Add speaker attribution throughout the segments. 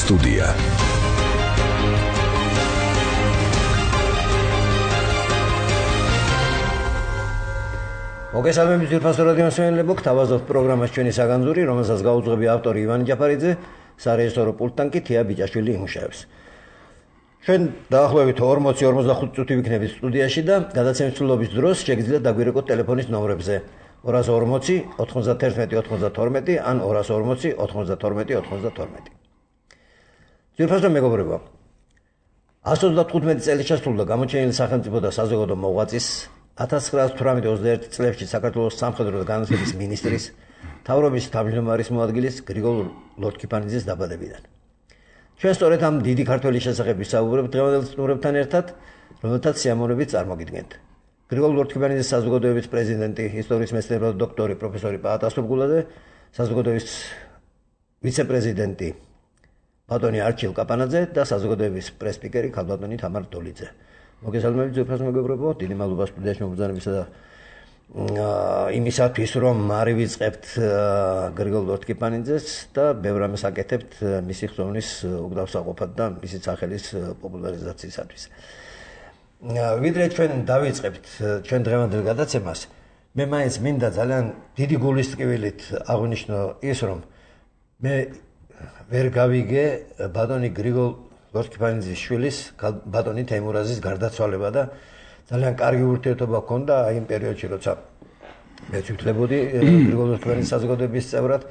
Speaker 1: სტუდია.
Speaker 2: მოგესალმებით ძირფასო რადიო მსმენელებო, გთავაზობთ პროგრამას ჩვენი საგანძური, რომელსაც გაუძღვები ავტორი ივანე ჯაფარიძე, სარეჟისორო პულტთან კი თია ბიჭაშვილი იმუშავებს. ჩვენ დაახლოებით 40-45 წუთი ვიქნებით სტუდიაში და გადაცემის დროს შეგიძლიათ დაგვირეკოთ ტელეფონის ნომრებზე 240 91 92 ან 240 92 92. ძირფასო მეგობრებო, 135 წელი შესრულდა გამოჩენილი სახელმწიფო და საზოგადო მოღვაწის 1918-21 წლებში საქართველოს სამხედრო და განათლების მინისტრის, მთავრობის თავმჯდომარის მოადგილის გრიგოლ ლორთქიფანიძის დაბადებიდან. ჩვენ სწორედ ამ დიდი ქართველის შესახებ ვისაუბრებთ დღევანდელ სტუმრებთან ერთად, რომელთაც სიამოვნებით წარმოგიდგენთ. გრიგოლ ლორთქიფანიძის საზოგადოების პრეზიდენტი, ისტორიის მეცნიერებათა დოქტორი პროფესორი პაატა სულგულაძე, საზოგადოების ვიცე-პრეზიდენტი ბატონი არჩილ კაპანაძე და საზოგადოების პრეს-სპიკერი ქალბატონი თამარ დოლიძე. მოგესალმებით ძვირფას მეგობრებო, დიდი მადლობა სტუდიაში მობრძანებისა და იმისათვის, რომ არივიწყებთ გრიგოლ ლორთქიფანიძეს და ბევრ რამეს აკეთებთ მისი ხსოვნის უკდავსაყოფად და მისი სახელის პოპულარიზაციისათვის. ვიდრე ჩვენ დავიწყებთ ჩვენ დღევანდელ გადაცემას, მე მაინც მინდა ძალიან დიდი გულის ტკივილით აღვნიშნო ის, რომ მე ვერ გავიგე ბატონი გრიგოლ ლორთქიფანიძის შვილის ბატონი თეიმურაზის გარდაცვალება და ძალიან კარგი ურთიერთობა ჰქონდა აი იმ პერიოდში, როცა მე ვთვლებოდი გრიგოლ ლორთქიფანიძის საზოგადოების წევრად.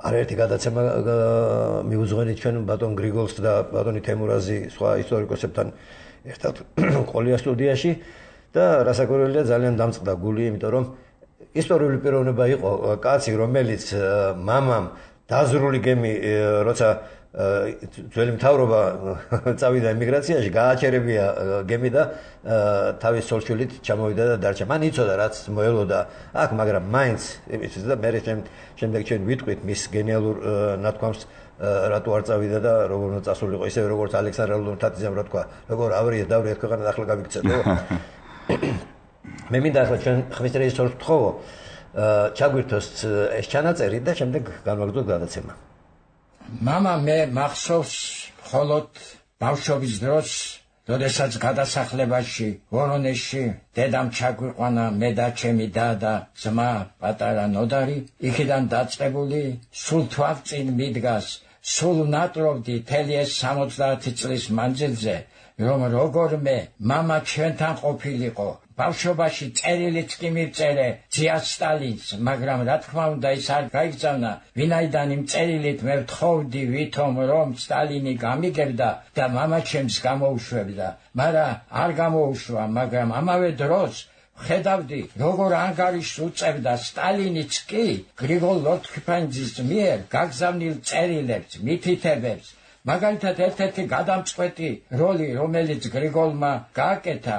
Speaker 2: არაერთი გადაცემა მიუძღვენით ჩვენ ბატონ გრიგოლს და ბატონი თეიმურაზი სხვა ისტორიკოსებთან ერთად ყოლია სტუდიაში და რასაკვირველია ძალიან დამწყდა გული, იმიტომ რომ ისტორიული პიროვნება იყო კაცი, რომელიც მამამ დაზრული გემი, როცა ძველი მთავრობა წავიდა ემიგრაციაში, გააჩერებია გემი და თავის ცოლშვილით ჩამოვიდა და დარჩა. მან იცოდა რაც მოელოდა აქ, მაგრამ მაინც იმისთვის და მე შემდეგ ჩვენ ვიტყვით მის გენიალურ ნათქვამს, რატო არ წავიდა და როგორ უნდა წასულიყო, ისევე როგორც ალექსანდრე ლუნთათიძემ რა თქვა, როგორ დავრიეთ ქვეყანა და ახლა გავიქცეთ, ხო? მე მინდა ახლა ჩვენ ხმის რეჟისორს ვთხოვო, ჩაგვირთოს ეს ჩანაწერი და შემდეგ განვაგრძელოთ გადაცემა.
Speaker 3: მამა მე მახსოვს მხოლოდ ბავშვობის დროს, როდესაც გადასახლებაში ვორონეჟში დედამ ჩაგვიყვანა მე და ჩემი და ძმა პატარა ნოდარი, იქიდან დაწყებული სულ თვალწინ მიდგას, სულ ნატრობდი მთელი ეს 70 წლის მანძილზე, რომ როგორმე მამა ჩვენთან ყოფილიყო. ბავშვობაში წერილიც კი მივწერე ძია სტალინს, მაგრამ რა თქმა უნდა ის არ გაიგზავნა, ვინაიდან იმ წერილით მე ვთხოვდი ვითომ რომ სტალინი გამიგებდა და მამა ჩემს გამოუშვებდა, მაგრამ არ გამოუშვა, მაგრამ ამავე დროს ხედავდი როგორ ანგარიშს უწევდა სტალინიც კი გრიგოლ ლორთქიფანიძის მიერ გაგზავნილ წერილებს, მითითებებს. მაგალითად ერთ-ერთი გადამწყვეტი როლი, რომელიც გრიგოლმა გააკეთა,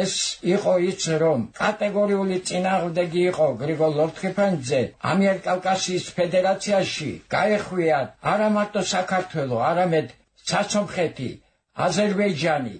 Speaker 3: ეს იყო ის, რომ კატეგორიული წინააღმდეგი იყო გრიგოლ ლორთქიფანიძე ამიერკავკასიის ფედერაციაში გაეხვია არა მარტო საქართველო, არამედ საცომხეთი, აზერბაიჯანი.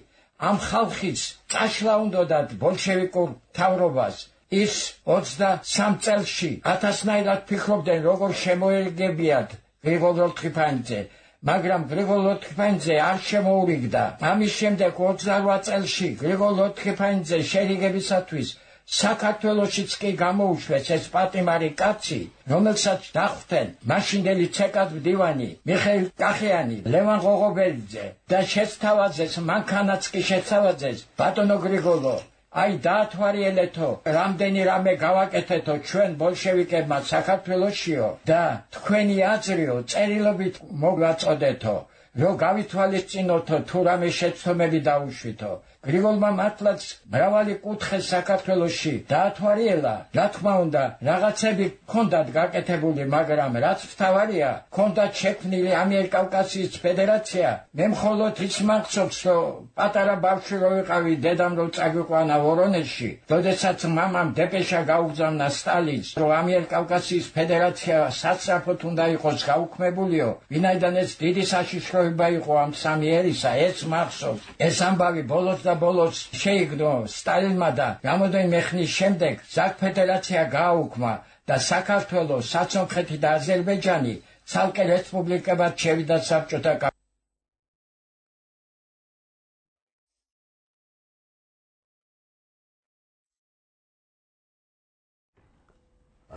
Speaker 3: ამ ხალხის წაშლა უნდათ ბოლშევიკურ მთავრობას. ის 23 წელში 1000-ნაირად ფიქრობდნენ, როგორ შემოერგებიათ გრიგოლ ლორთქიფანიძე, მაგრამ გრიგოლ ლორთქიფანიძე არ შემოურიგდა. ამის შემდეგ 28 წელში გრიგოლ ლორთქიფანიძე შერიგებისათვის საქართველოშიც კი გამოუშვეს ეს პატიმარი კაცი, რომელსაც დახვდნენ მაშინდელი ცეკად მდივანი მიხეილ კახიანი, ლევან ღოღობერიძე და შეცთავაძეს, მანქანაც კი შეცთავაძეს. ბატონო გრიგოლო, აი დაათვალიერეთო, რამდენი რამე გავაკეთეთო ჩვენ ბოლშევიკებმა საქართველოშიო და თქვენი აზრიო წერილობით მოგაწოდეთო, რომ გავითვალისწინოთო თუ რამე შეცდომები დაუშვითო. გრიგოლმა მართლაც მრავალი კუთხე საქართველოში დაათვალიერა, რა თქმა უნდა რაღაცები ჰქონდათ გაკეთებული, მაგრამ რაც მთავარია, ჰქონდათ შექმნილი ამიერკავკასიის ფედერაცია. მე მხოლოდ ის მახსოვს, რომ პატარა ბავშვი რო ვიყავი, დედამ რო წაგვიყვანა ვორონეჟში, როდესაც მამამ დეპეშა გაუგზავნა სტალინს, რომ ამიერკავკასიის ფედერაცია სასწრაფოდ უნდა იყოს გაუქმებულიო, ვინაიდან ეს დიდი საშიშროება იყო ამ სამი ერისა, ეს მახსოვს. ეს ამბავი ბოლოს და ბოლოს შეიგდო სტალინმა და რამოდენიმე ხნის შემდეგ ზაქ ფედერაცია გააუქმა და საქართველო, საცომხეთი და აზერბაიჯანი ცალკე რესპუბლიკებად შევიდა საბჭოთა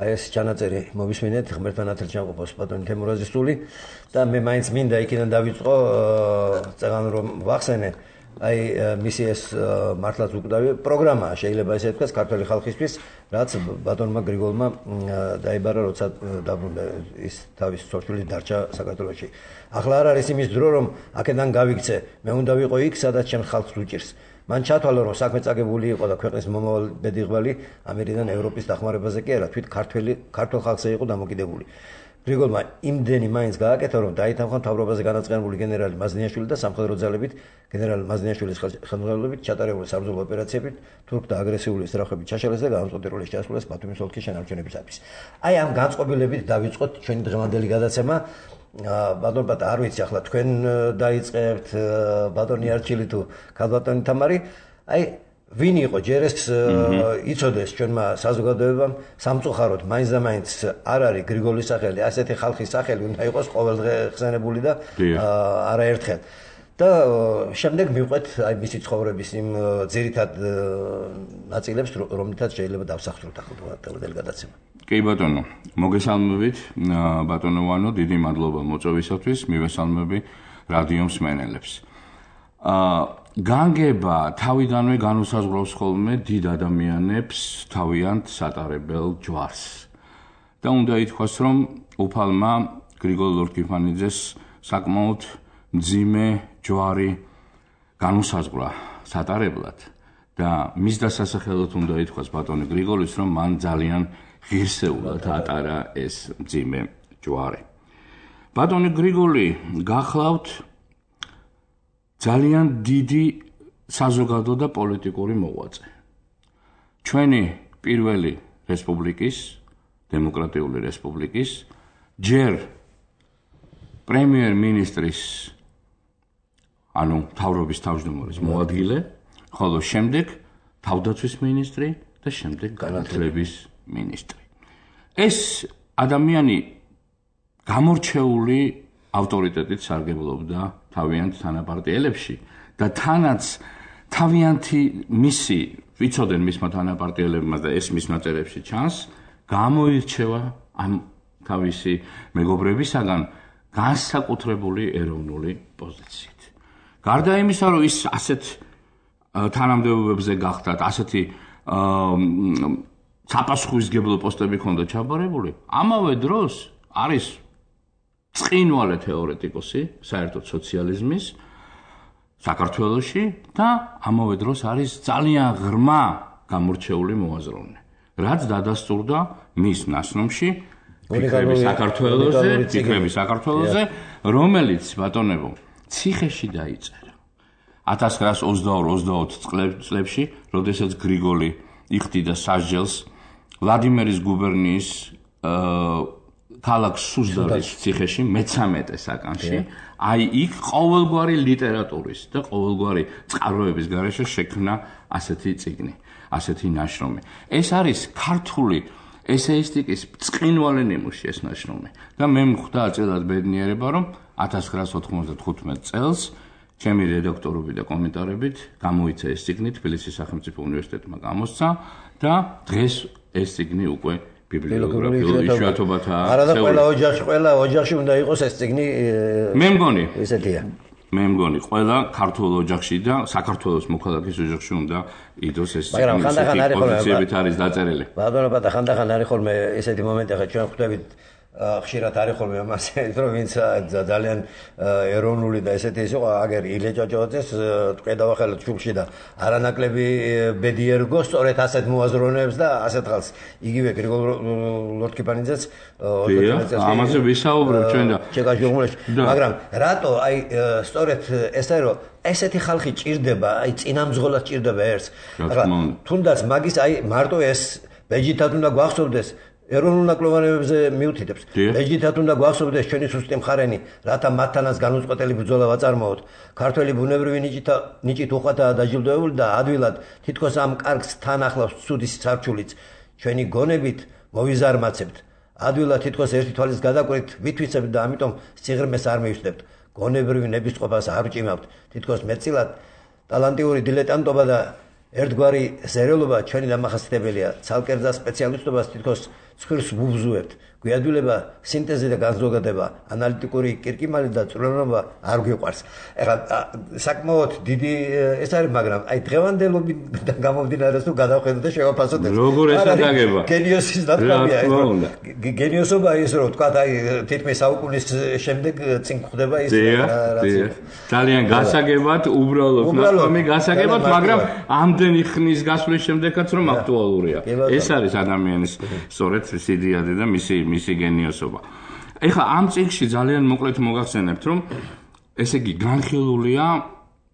Speaker 2: აი ეს ჩანაწერი მოვისმინეთ ღმერთთან ათელჯანყოფოს ბატონი თემურაზის სული და მე მაინც მინდა იქიდან დავიწყო წეგან რომ ვახსენე აი მისი ეს მართლაც უკვდავი პროგრამაა შეიძლება ესე ვთქვას ქართული ხალხისთვის რაც ბატონმა გრიგოლმა დაიბარა როცა დაბრუნდა ის თავის სოციალური დარჩა საქართველოში ახლა არ არის იმის დრო რომ აქედან გავიქცე მე უნდა ვიყო იქ სადაც ჩემს ხალხს უჭირს მან ჩათვალა რომ საქმე წაგებული იყო და ქვეყნის მომავალ ბედიღბალი ამერიდან ევროპის დახმარებაზე კი არა თვით ქართულ ხალხზე იყო დამოკიდებული გრიგოლმა იმდენი მაინც გააკეთა რომ დაითანხმა მთავრობაზე განაწყენებული გენერალი მაზნიაშვილი და სამხედრო ძალებით გენერალი მაზნიაშვილის ხელმძღვანელობით ჩატარებული საბრძოლო ოპერაციებით თურქთა აგრესიული სწრაფებით ჩაშალეს და გამწყვეტილების ჩასვლას ბათუმის ოლქის შენარჩუნებისათვის. აი ამ განწყობილებით დავიწყოთ ჩვენი დღევანდელი გადაცემა. ბატონ ბატა არ ვიცი ახლა თქვენ დაიწყებთ ბატონი არჩილი თუ ქალბატონი თამარი აი ვინ იყო ჯერ ეს იცოდეს ჩვენმა საზოგადოებამ სამწუხაროდ მაინც და მაინც არ არის გრიგოლის სახელი ასეთი ხალხის სახელი უნდა იყოს ყოველდღე ხსენებული და არაერთხელ და შემდეგ მივყვეთ აი მისი ცხოვრების იმ ძირითად ნაწილებს რომლითაც შეიძლება დავსახსროთ ახლა დღევანდელი გადაცემა.
Speaker 1: კი ბატონო, მოგესალმებით ბატონო ვანო, დიდი მადლობა მოწვევისათვის, მივესალმები რადიო მსმენელებს. განგება თავიდანვე განუსაზღვრავს ხოლმე დიდ ადამიანებს თავიანთ სატარებელ ჯვარს. და უნდა ითქვას, რომ უფალმა გრიგოლ ლორთქიფანიძეს საკმაოდ მძიმე ჯვარი განუსაზღვრა სატარებლად და მის დასასახელოდ უნდა ითქვას ბატონი გრიგოლის, რომ მან ძალიან ღირსეულად ატარა ეს მძიმე ჯვარი. ბატონი გრიგოლი გახლავთ ძალიან დიდი საზოგადო და პოლიტიკური მოღვაწე. ჩვენი პირველი რესპუბლიკის, დემოკრატიული რესპუბლიკის, ჯერ პრემიერ-მინისტრის, ანუ მთავრობის თავმჯდომარის მოადგილე, ხოლო შემდეგ თავდაცვის მინისტრი და შემდეგ განათლების მინისტრი. ეს ადამიანი გამორჩეული ავტორიტეტით სარგებლობდა თავიანთ თანაპარტიელებში და თანაც თავიანთი მისი ვიცოდნენ მისმა თანაპარტიელებმა და ეს მის ნაწერებში ჩანს გამოირჩევა ამ თავისი მეგობრებისაგან განსაკუთრებული ეროვნული პოზიციით. გარდა იმისა, რომ ის ასეთ თანამდებობებზე გახდათ, ასეთი საპასუხისმგებლო პოსტები ჰქონდა ჩაბარებული, ამავე დროს არის წყინვალე თეორეტიკოსი საერთოდ სოციალიზმის საქართველოში და ამავე დროს არის ძალიან ღრმა გამორჩეული მოაზროვნე. რაც დადასტურდა მის ნაშრომში ფიქრები საქართველოზე, რომელიც ბატონებო ციხეში დაიწერა 1922-23 წლებში, როდესაც გრიგოლი იხდიდა სასჯელს ვლადიმერის გუბერნიის ქალაქ სუზდარის ციხეში მე-13 საკანში, აი იქ ყოველგვარი ლიტერატურის და ყოველგვარი წყაროების გარეშე შექმნა ასეთი წიგნი, ასეთი ნაშრომი. ეს არის ქართული ესეისტიკის წყინვალე ნიმუში ეს ნაშრომი და მე მხვდა აწილად ბედნიერება, რომ 1995 წელს ჩემი რედაქტორობით და კომენტარებით გამოიცა ეს წიგნი თბილისის სახელმწიფო უნივერსიტეტმა გამოსცა და დღეს ეს წიგნი უკვე ბიბლიოგრაფიულ იშვიათობათაა.
Speaker 2: არა და ყველა ოჯახში უნდა იყოს ეს წიგნი.
Speaker 1: მე მგონი
Speaker 2: ესეთია.
Speaker 1: მე მგონი ყველა ქართულ ოჯახში და საქართველოს მოქალაქის ოჯახში უნდა იდოს ეს
Speaker 2: მაგრამ ხანდახან არის ხოლმე
Speaker 1: არის დაწერილი.
Speaker 2: ბატონო ბატა ხანდახან არის ხოლმე ესეთი მომენტი, ხა ჩვენ ხვდებით ხშირად არის ხოლმე ამაზე, რომ ვინც ძალიან ეროვნული და ესეთი ის იყო, აგერ ილე ჭოჭოძეს ტყედავა ხელთ ჩუბში და არანაკლები ბედი ერგო სწორედ ასეთ მოაზროვნეებს და ასეთ ხალხს. იგივე გრიგოლ ლორთქიფანიძეც
Speaker 1: ამაზე ვისაუბრებ ჩვენ და
Speaker 2: ჩეკაშიუღმულეში. მაგრამ რატო აი სწორედ ესა რომ ესეთი ხალხი ჭირდება, აი წინამძღოლად ჭირდება ერთს. თუნდაც მაგის აი მარტო ეს ბეჯითად უნდა გვახსოვდეს ეროვნულ ნაკლებობებზე მიუთითებს. ბეჯითად უნდა გვახსოვდეს ჩვენი სუსტი მხარენი, რათა მათთანაც განუწყვეტელი ბრძოლა ვაწარმოოთ. ქართველი ბუნებრივი ნიჭით უხვადაა დაჯილდოებული და ადვილად თითქოს ამ კარგს თან ახლავს ცუდის სარჩულიც. ჩვენი გონებით მოვიზარმაცებთ. ადვილად თითქოს ერთი თვალის გადაკვეთით ვითვიცებთ და ამიტომ სიღრმეს არ მივსდებთ. გონებრივი ნებისყოფას არ ვჭიმავთ. თითქოს მეტწილად ტალანტიური დილეტანტობა და ერთგვარი ზერელობა ჩვენი დამახასიათებელია. ცალკერძა სპეციალისტობას თითქოს ცხვირს ვუბზუებთ. გვიადვილება სინთეზი და განზოგადება, ანალიტიკური კირკიმალი და წვრილობა არ გვიყვარს. ეხლა საკმაოდ დიდი ეს არის, მაგრამ აი დღევანდელობიდან გამომდინარე თუ გადავხედოთ და შევაფასოთ ეს.
Speaker 1: როგორ ესაგება?
Speaker 2: გენიოსის დათმობია ეს. გენიოსობა ის რომ თქვა აი თითქმის საუკუნის შემდეგ წინ ხდება ის
Speaker 1: ძალიან გასაგებად, უბრალოდ ნახომი გასაგებად, მაგრამ ამდენი ხნის გასვლის შემდეგაც რომ აქტუალურია. ეს არის ადამიანის სწორედ სიდიადი და მისი გენიოსობა. ეხლა ამ წიგნში ძალიან მოკლედ მოგახსენებთ, რომ ესე იგი განხილულია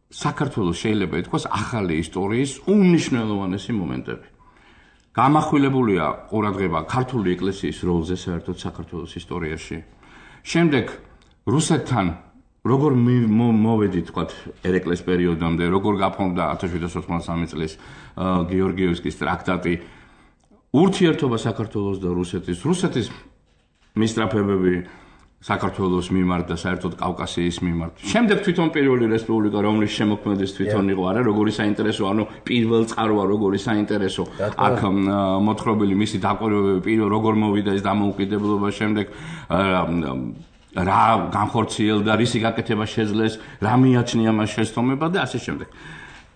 Speaker 1: საქართველოს შეიძლება ითქვას ახალი ისტორიის უმნიშვნელოვანესი მომენტები. გამახვილებულია ყურადღება ქართული ეკლესიის როლზე საერთოდ საქართველოს ისტორიაში. შემდეგ რუსეთთან როგორ მოვედით თქვათ ერეკლეს პერიოდამდე, როგორ გაფორმდა 1783 წლის გეორგიევსკის ტრაქტატი, ურთიერთობა საქართველოს და რუსეთის მისწრაფებები საქართველოს მიმართ და საერთოდ კავკასიის მიმართ. შემდეგ თვითონ პირველი რესპუბლიკა, რომლის შემოქმედეს თვითონ იყო, არა, როგორი საინტერესო, ანუ პირველ წყაროა, როგორი საინტერესო აქ მოთხრობილი მისი დაკვირვებები, პირველ როგორ მოვიდა ეს დამოუკიდებლობა, შემდეგ რა განხორციელდა, რისი გაკეთება შეძლეს, რა მიაჩნია მას შეცდომება და ასე შემდეგ.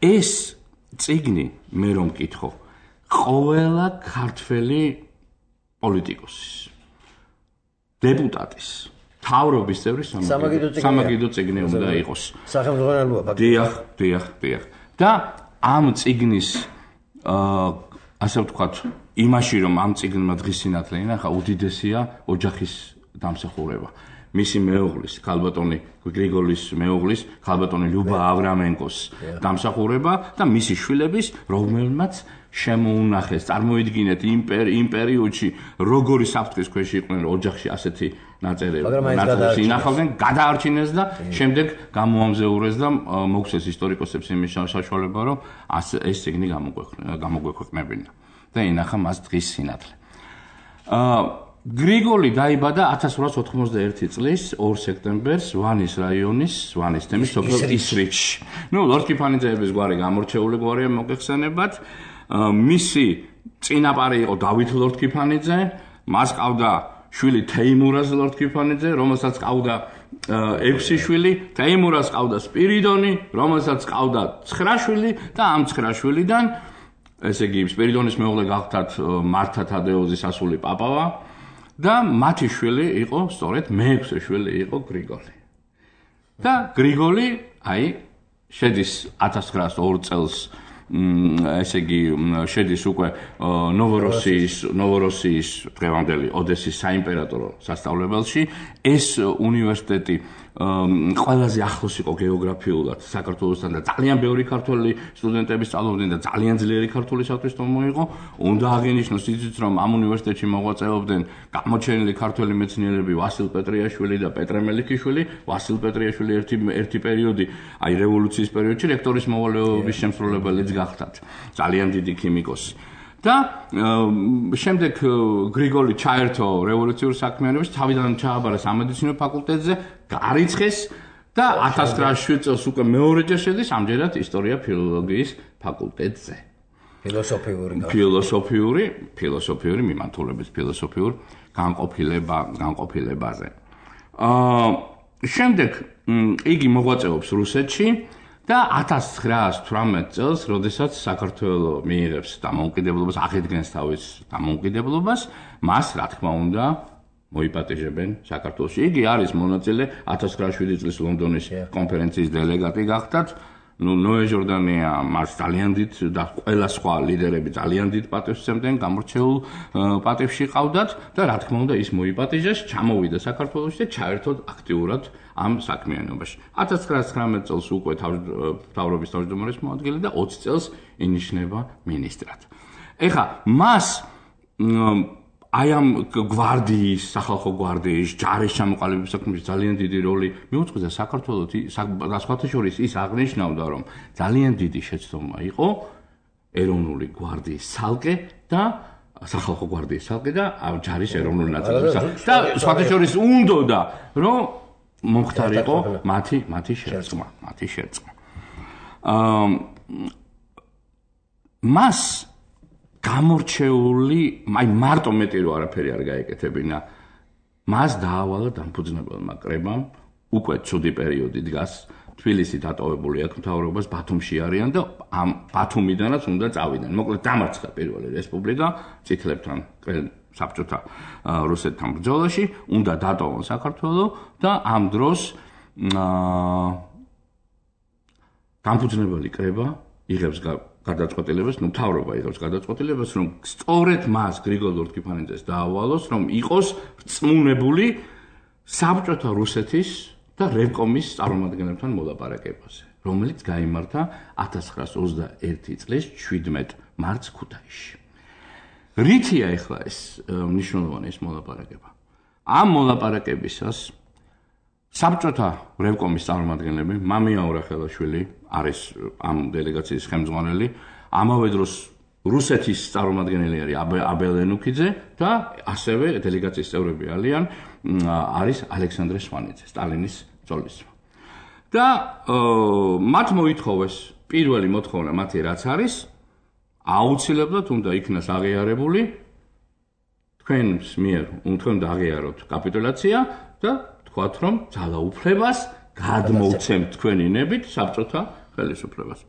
Speaker 1: ეს წიგნი მე რომ მკითხო, ყველა ქართველი პოლიტიკოსის, დეპუტატის, მთავრობის წევრის სამაგიდო წიგნი უნდა იყოს.
Speaker 2: სახელმძღვანელოა
Speaker 1: ფაქტობრივად. დიახ. და ამ წიგნის ასე ვთქვათ, იმაში რომ ამ წიგნმა დღის სინათლე ინახა, უდიდესია ოჯახის დამსახურება. მისი მეუღლის, ქალბატონი გრიგოლის მეუღლის, ქალბატონი ლიუბა ავრამენკოს დამსახურება და მისი შვილების, რომელმაც შემოუნახეს, წარმოიდგინეთ იმ პერიოდში როგორი საფრთხის ქვეშ იყვნენ ოჯახში ასეთი ნაწერები ინახავდნენ, გადაარჩინეს და შემდეგ გამოამზეურეს და მოგვცეს ისტორიკოსებს იმის საშუალება, რომ ეს წიგნი გამოგვექვეყნებინა და ინახა მას დღის სინათლე. გრიგოლი დაიბადა 1891 წლის 2 სექტემბერს ვანის რაიონის ვანის თემის სოფელ ისრიჩში. ლორდ კიფანიძეების გვარი გამორჩეული გვარია მოგეხსენებათ. მისი წინაპარი იყო დავით ლორდ კიფანიძე, მას ყავდა შვილი თეიმურაზ ლორდ კიფანიძე, რომელსაც ყავდა 6 შვილი, თეიმურაზს ყავდა სპირიდონი, რომელსაც ყავდა 9 შვილი და ამ 9 შვილიდან, ესე იგი სპირიდონის მეუღლე გახდათ მართა თადეოზის ასული პაპავა და მათი შვილი იყო, სწორედ მე-6 შვილი იყო გრიგოლი. და გრიგოლი, აი, შედის 1902 წელს ესე იგი შედის უკვე ნოვოროსიის დღევანდელი ოდესის საიმპერატორო სასწავლებელში. ეს უნივერსიტეტი ყველაზე ახლოს იყო გეოგრაფიულად საქართველოსთან და ძალიან ბევრი ქართველი სტუდენტები სწავლობდნენ და ძალიან ძლიერი ქართული სათვისტომო იყო. უნდა აღინიშნოს ისიც, რომ ამ უნივერსიტეტში მოღვაწეობდნენ გამოჩენილი ქართველი მეცნიერები ვასილ პეტრიაშვილი და პეტრე მელიქიშვილი. ვასილ პეტრიაშვილი ერთი პერიოდი, აი რევოლუციის პერიოდში რექტორის მოვალეობის შემსრულებელიც გახდათ. ძალიან დიდი ქიმიკოსი. და შემდეგ გრიგოლი ჩაერთო რევოლუციურ საქმიანობაში, თავიდან ჩააბარა სამედიცინო ფაკულტეტზე, გარიცხეს და 1907 წელს უკვე მეორეჯერ შედის ამჯერად ისტორია ფილოლოგიის ფაკულტეტზე. ფილოსოფიური მიმართულებით ფილოსოფიურ განყოფილებაზე. შემდეგ იგი მოღვაწეობს რუსეთში და 1918 წელს, როდესაც საქართველო მიიღებს დამოუკიდებლობას, აღიდგენს თავის დამოუკიდებლობას, მას რა თქმა უნდა მოიპატეჟებენ საქართველოში. იგი არის მონაწილე 1907 წლის ლონდონის კონფერენციის დელეგატი გახდათ. ნოე ჟორდანია მას ძალიან დიდ და ყველა სხვა ლიდერები ძალიან დიდ პატევს სცემდნენ, გამორჩეულ პატევში ყავდათ და რა თქმა უნდა ის მოიპატეჟეს, ჩამოვიდა საქართველოში და ჩაერთო აქტიურად ამ საქმიანობაში. 1919 წელს უკვე მთავრობის თავმჯდომარის მოადგილე და 20 წელს ინიშნება მინისტრად. ეხლა მას აი ამ გვარდიის, სახალხო გვარდიის, ჯარის ჩამოყალიბების საქმეში ძალიან დიდი როლი მიუძღვის და საქართველოს და სხვათა შორის ის აღნიშნავდა, რომ ძალიან დიდი შეცდომა იყო ეროვნული გვარდიის ცალკე და სახალხო გვარდიის ცალკე და ჯარის ეროვნული ნაწილების და სხვათა შორის უნდოდა, რომ მომხდარიყო მათი შერწყმა. მას გამორჩეული, აი მარტო მეტი რო არაფერი არ გაეკეთებინა, მას დაავალა დამფუძნებელმა კრებამ, უკვე ცუდი პერიოდი დგას, თბილისი დატოვებული აქვს მთავრობას, ბათუმში არიან და ამ ბათუმიდანაც უნდა წავიდნენ. მოკლედ დამარცხა პირველი რესპუბლიკა წითლებთან, საბჭოთა რუსეთთან ბრძოლაში, უნდა დატოვონ საქართველო და ამ დროს დამფუძნებელი კრება იღებს გადაწყვეტილებას, მთავრობა იღებს გადაწყვეტილებას, რომ სწორედ მას გრიგოლ ლორთქიფანიძეს დაავალოს, რომ იყოს რწმუნებული საბჭოთა რუსეთის და რევკომის წარმომადგენლებთან მოლაპარაკებაზე, რომელიც გაიმართა 1921 წლის 17 მარტს ქუთაისში. რითია ახლა ეს მნიშვნელოვანი ეს მოლაპარაკება? ამ მოლაპარაკებისას საბჭოთა რევკომის წარმომადგენლები, მამია ორახელაშვილი არის ამ დელეგაციის ხელმძღვანელი, ამავე დროს რუსეთის წარმომადგენელი არის აბელ ენუქიძე და ასევე დელეგაციის წევრები არის ალექსანდრე სვანიძე, სტალინის ძოლისძმა. და მათ მოითხოვეს, პირველი მოთხოვნა მათი რაც არის, აუცილებლად უნდა იქნას აღიარებული თქვენს მიერ თქვენ დააღიაროთ კაპიტულაცია და თქვათ, რომ ძალაუფლებას გადმოვცემთ თქვენი ნებით საბჭოთა ხელისუფლებას.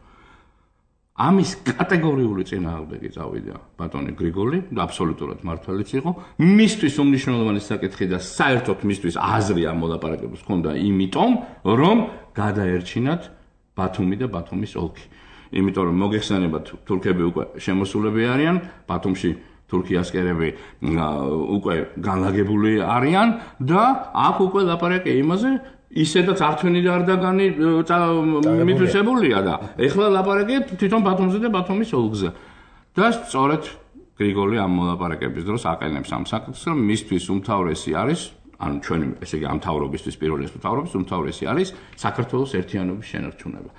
Speaker 1: ამის კატეგორიული წინააღმდეგი წავიდა ბატონი გრიგოლი და აბსოლუტურად მართალიც იყო. მისთვის უმნიშვნელოვანესი საკითხი და საერთოდ მისთვის აზრი ამ მოლაპარაკებებს ჰქონდა იმიტომ, რომ გადაერჩინათ ბათუმი და ბათუმის ოლქი. იმიტომ რომ მოგეხსენებათ, თურქები უკვე შემოსულები არიან, ბათუმში თურქი ასკერები უკვე განლაგებული არიან და აქ უკვე ლაპარაკია იმაზე, ისედაც არჩენი და არდაგანი მითვისებულია და ეხლა ლაპარაკია თვითონ ბათუმზე და ბათუმის ოლქზე. და სწორედ გრიგოლი ამ მოლაპარაკების დროს აყენებს ამ საკითხს, რომ მისთვის უმთავრესი არის, ანუ ჩვენი ესე იგი ამ მთავრობისთვის პირველი მთავრობის უმთავრესი არის საქართველოს ერთიანობის შენარჩუნება.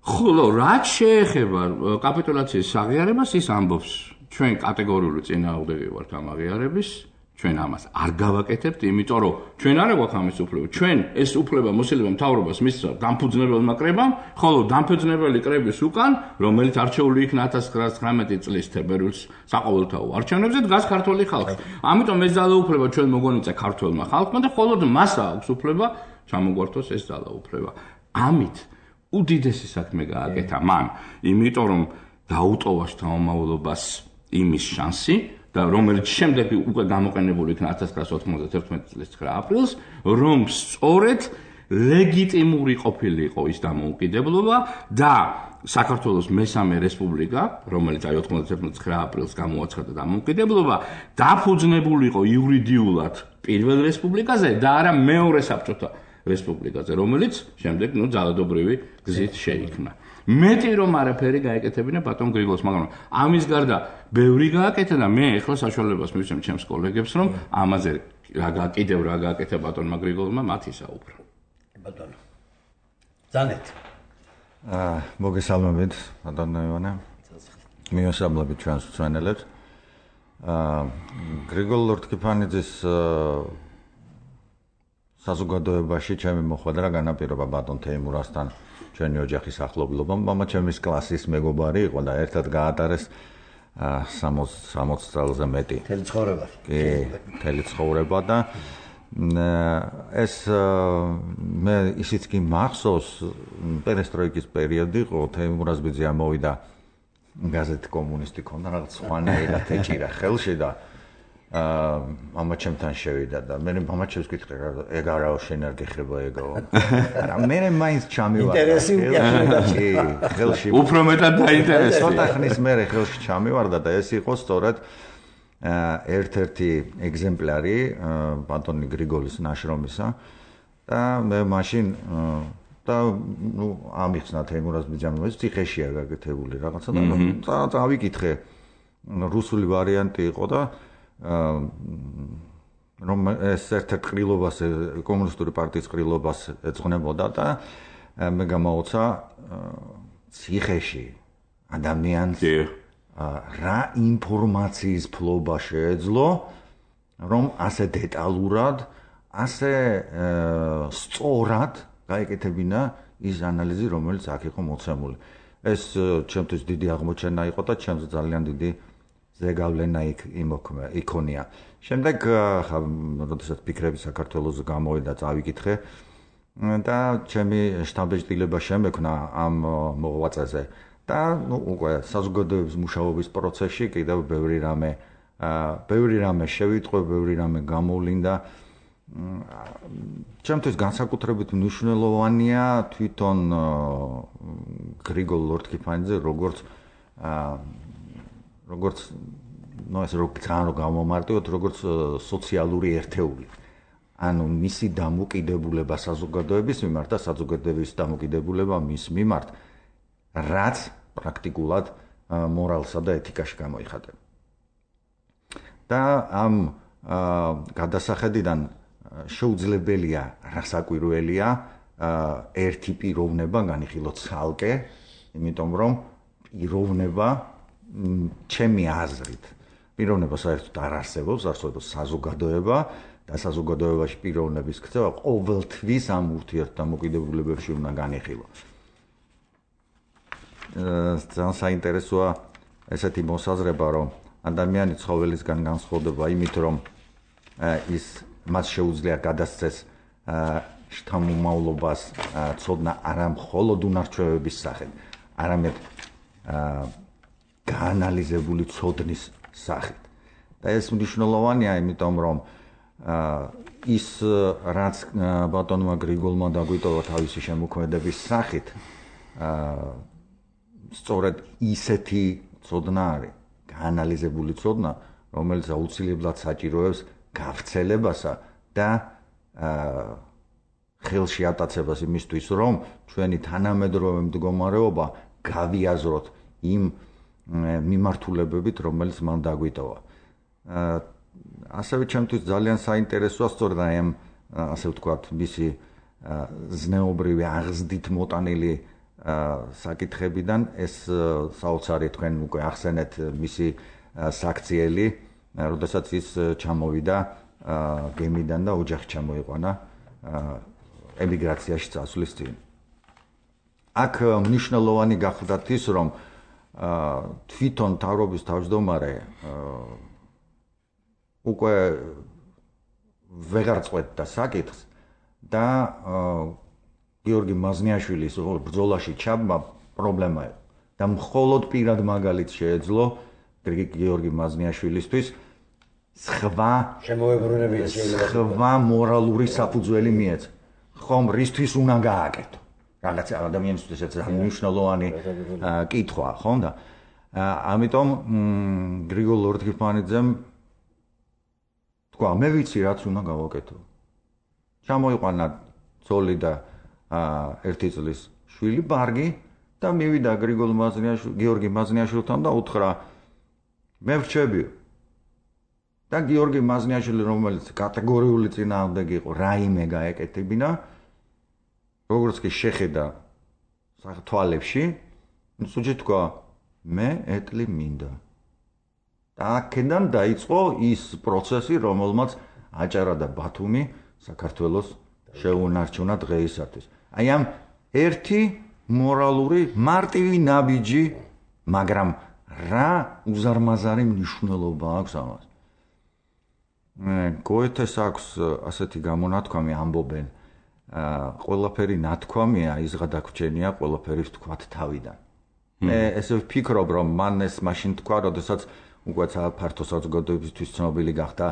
Speaker 1: ხოლო რაც შეეხება კაპიტულაციის აღიარებას, ის ამბობს, ჩვენ კატეგორიული წინააღმდეგი ვართ ამ აღიარების, ჩვენ ამას არ გავაკეთებთ, იმიტომ რომ ჩვენ არ გვაქვს ამის უფლება. ჩვენ ეს უფლება მოსილება მთავრობას მისცა დამფუძნებელმა კრებამ, ხოლო დამფუძნებელი კრების უკან, რომელიც არჩეული იქნა 1919 წლის თებერვალს საყოველთაო არჩევნებზე, დგას ქართველი ხალხი. ამიტომ ეს ძალაუფლება ჩვენ მოგონიცა ქართველმა ხალხმა და მხოლოდ მას აქვს უფლება ჩამოგვართოს ეს ძალაუფლება. ამით უდიდესი საქმე გააკეთა მან, იმიტომ რომ დაუტოვა შთამომავლობას იმის შანსი და რომელიც შემდეგ უკვე გამოყენებული იქნა 1991 წლის 9 აპრილს, რომ სწორედ ლეგიტიმური ყოფილიყო ის დამოუკიდებლობა და საქართველოს მესამე რესპუბლიკა, რომელიც 91 აპრილს გამოაცხადა დამოუკიდებლობა, დაფუძნებულიყო იურიდიულად პირველ რესპუბლიკაზე და არა მეორე საბჭოთა რესპუბლიკაზე, რომელიც შემდეგ ძალადობრივი გზით შეიქმნა. მეტი რომ არაფერი გაეკეთებინა ბატონ გრიგოლს, მაგრამ ამის გარდა ბევრი გააკეთა და მე ახლა საშუალებას მივცემ ჩემს კოლეგებს, რომ ამაზე კიდევ რა გააკეთა ბატონმა გრიგოლმა, მათ ისაუბრა.
Speaker 2: ბატონო. ზანეთ.
Speaker 4: მოგესალმებით, ბატონო ივანე. მიესალმებით ჩვენს მწვენელებს. გრიგოლ ლორთქიფანიძის საზოგადოებაში ჩემი მოხვედრა განაპირობა ბატონ თეიმურასთან ჩვენი ოჯახის ახლობლობა, მამა ჩემის კლასის მეგობარი იყო და ერთად გაატარეს 60 წელზე მეტი.
Speaker 2: მთელი ცხოვრება.
Speaker 4: კი, მთელი ცხოვრება და ეს მე ისიც კი მახსოვს, პერესტროიკის პერიოდი იყო, თეიმურაზბიძე ამოვიდა გაზეთი კომუნისტი ქონდა, რაღაც სხვანაირად ეჭირა ხელში და მამა ჩემთან შევიდა და მე მამა ჩემს ვკითხე, ეგ არაო შენ არ გეხება ეგაო. არა, მე მაინც ჩამივარდა.
Speaker 2: ინტერესი უკეთდა.
Speaker 4: კი, ხელში.
Speaker 1: უფრო მეტად დაინტერესდა.
Speaker 4: ცოტა ხნის მერე ხელში ჩამივარდა და ეს იყო სწორედ ერთ-ერთი ეგზემპლარი ბატონი გრიგოლის ნაშრომისა და მე მაშინ და ამიხსნა თეიმურაზბიძემ ეს ციხეშია გაკეთებული რაღაცა და წავიკითხე რუსული ვარიანტი იყო და რომ ეს ერთ-ერთ ყრილობას კომუნისტური პარტიის ყრილობას ეძღვნებოდა და მე გამაოცა ციხეში ადამიანს რა ინფორმაციის ფლობა შეეძლო რომ ასე დეტალურად ასე სწორად გაეკეთებინა ის ანალიზი რომელიც აქ იყო მოცემული ეს ჩემთვის დიდი აღმოჩენა იყო და ჩემს ძალიან დიდი ზეგავლენა იქონია. შემდეგ როდესაც ფიქრები საქართველოს გამოვიდა, წავიკითხე და ჩემი შტაბ-ბეჭდილება შემექნა ამ მოღვაწეზე და უკვე საზოგადოების მუშაობის პროცესში კიდევ ბევრი რამე შევიტყვე, ბევრი რამე გამოვლინდა. ჩემთვის განსაკუთრებით მნიშვნელოვანია თვითონ გრიგოლ ლორთქიფანიძე როგორც ეს ძალიან გამომარტივოთ როგორც სოციალური ერთეული. ანუ მისი დამოკიდებულება საზოგადოების მიმართ და საზოგადოების დამოკიდებულება მის მიმართ, რაც პრაქტიკულად მორალსა და ეთიკაში გამოიხატება. და ამ გადასახედიდან შეუძლებელია, რასაკვირველია, ერთი პიროვნება განიხილოთ ცალკე, იმიტომ რომ პიროვნება ჩემი აზრით, პიროვნება საერთოდ არ არსებობს, არსებობს საზოგადოება და საზოგადოებაში პიროვნების ქცევა ყოველთვის ამ ურთიერთდამოკიდებულებებში უნდა განიხილოს. ძალიან საინტერესოა ესეთი მოსაზრება, რომ ადამიანი ცხოველისგან განსხვავდება იმით, რომ მას შეუძლია გადასცეს შთამომავლობას ცოდნა არა მხოლოდ უნარჩვევების სახით, არამედ გაანალიზებული ცოდნის სახით. და ეს მნიშვნელოვანია, იმიტომ რომ ის რაც ბატონმა გრიგოლმა დაგვიტოვა თავისი შემოქმედების სახით, სწორედ ისეთი ცოდნა არის, გაანალიზებული ცოდნა, რომელიც აუცილებლად საჭიროებს გავრცელებასა და ხელში ატაცებას იმისთვის, რომ ჩვენი თანამედროვე მდგომარეობა გავიაზროთ იმ მიმართულებებით, რომელიც მან დაგვიტოვა. ასევე ჩემთვის ძალიან საინტერესოა სწორედ ამ ასე ვთქვათ, მისი ზნეობრივი აღზრდით მოტანილი საკითხებიდან ეს საოცარი თქვენ უკვე ახსენეთ მისი საქციელი, როდესაც ის ჩამოვიდა გემიდან და ოჯახი ჩამოიყვანა ემიგრაციაში წასვლის წინ. აქ მნიშვნელოვანი გახლდათ ის, რომ თვითონ თავრობის თავმჯდომარე უკვე ვეღარ წყვეტდა საკითხს და გიორგი მაზნიაშვილის ბრძოლაში ჩაბმა პრობლემა იყო და მხოლოდ პირად მაგალითს შეეძლო გიორგი მაზნიაშვილისთვის სხვა მორალური საფუძველი მიეცა. ხომ რისთვის უნდა გააკეთო? რაღაც ადამიანისთვის ეს მნიშვნელოვანი კითხვა, ხომ და ამიტომ გრიგოლ ლორთქიფანიძემ თქვა, მე ვიცი რაც უნდა გავაკეთო. ჩამოიყვანა ცოლი და 1 წლის შვილი ბარგი და მივიდა გიორგი მაზნიაშვილთან და უთხრა მე ვრჩებიო. და გიორგი მაზნიაშვილი, რომელიც კატეგორიული წინააღმდეგი იყო, რაიმე გაეკეთებინა, როგორც კი შეხედა თვალებში, სუჯი თქვა, მე ეტლი მინდა. და აქედან დაიწყო ის პროცესი, რომელმაც აჭარა და ბათუმი საქართველოს შეუნარჩუნა დღეისათვის. აი ამ ერთი მორალური მარტივი ნაბიჯი, მაგრამ რა უზარმაზარი მნიშვნელობა აქვს ამას. გოეთეს აქვს ასეთი გამონათქვამი, ამბობენ, ყველაფერი ნათქვამია, ის გადაგვრჩენია ყველაფერი ვთქვათ თავიდან. მე ესე ვფიქრობ, რომ მან ეს მაშინ თქვა, როდესაც უკვე ფართო საზოგადოებისთვის ცნობილი გახდა